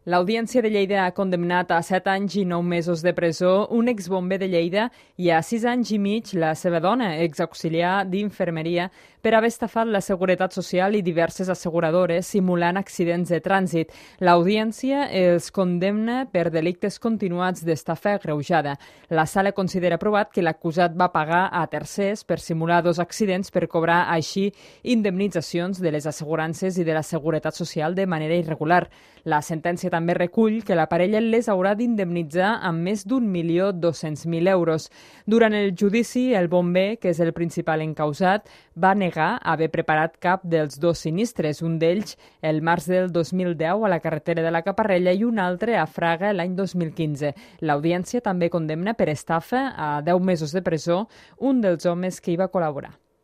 L'Audiència de Lleida ha condemnat a 7 anys i 9 mesos de presó un exbomber de Lleida i a 6 anys i mig la seva dona, exauxiliar d'infermeria, per haver estafat la Seguretat Social i diverses asseguradores simulant accidents de trànsit. L'Audiència els condemna per delictes continuats d'estafa agreujada. La sala considera provat que l'acusat va pagar a tercers per simular 2 accidents per cobrar així indemnitzacions de les assegurances i de la Seguretat Social de manera irregular. La sentència també recull que la parella les haurà d'indemnitzar amb més d'1.200.000 euros. Durant el judici, el bomber, que és el principal encausat, va negar haver preparat cap dels 2 sinistres, un d'ells el març del 2010 a la carretera de la Caparrella i un altre a Fraga l'any 2015. L'Audiència també condemna per estafa a 10 mesos de presó un dels homes que hi va col·laborar.